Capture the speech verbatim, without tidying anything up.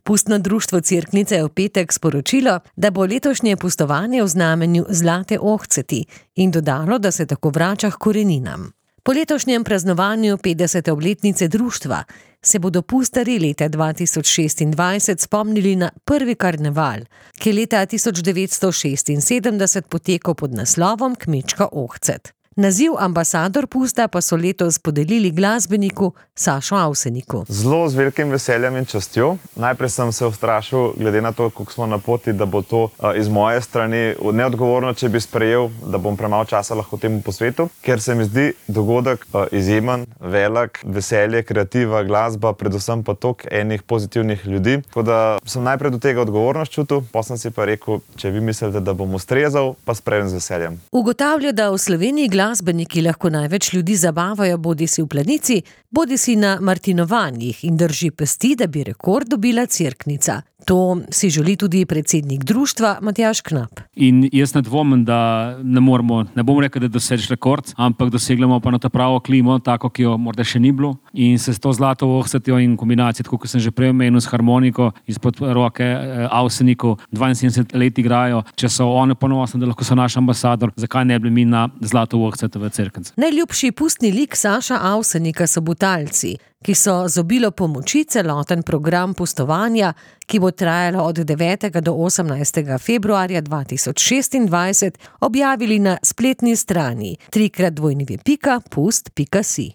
Pustno društvo Cerknica je v petek sporočilo, da bo letošnje pustovanje v znamenju Zlate ohceti in dodalo, da se tako vrača k koreninam. Po letošnjem praznovanju petdesete obletnice društva se bodo pustarji leta dva tisoč šestindvajset spomnili na prvi karneval, ki je leta tisoč devetsto šestinsedemdeset potekal pod naslovom Kmečka ohcet. Naziv ambasador pusta pa so letos podelili glasbeniku Sašu Avseniku. Zelo z velikim veseljem in častjo. Najprej sem se ustrašil, glede na to, koliko smo na poti, da bo to uh, iz moje strani neodgovorno, če bi sprejel, da bom premalo časa lahko temu posvetil, ker se mi zdi dogodek uh, izjemen, velik, veselje, kreativa, glasba, predvsem pa tok enih pozitivnih ljudi. Tako da sem najprej do tega odgovornost čutil, potem sem si pa rekel, če vi mislite, da bom ustrezal, pa sprejemam z veseljem. Ugotavlja, da v Sloveniji glasbeniki lahko največ ljudi zabavajo bodisi v Planici, bodisi na martinovanjih in drži pesti, da bi rekord dobila Cerknica. To si želi tudi predsednik društva Matjaž Knap. In jaz ne dvomim, da ne moramo, ne bom rekel, da dosež rekord, ampak doseglemo pa na to pravo klimo, tako, ki jo morda še ni bilo. In se s to zlato ohcetjo in kombinacijo, tako kot sem že prej omenil, s harmoniko izpod roke eh, Avseniku, dvainsedemdeset let igrajo. Če so oni ponosni, da lahko so naš ambasador, zakaj ne bi mi na zlato ohcet v Cerknici? Najljubši pustni lik Saša Avsenika so Butalci, ki so z obilo pomoči celoten program pustovanja, ki bo trajalo od devetega do osemnajstega februarja dva tisoč šestindvajset, objavili na spletni strani trikrat dvojni pika pust pika si.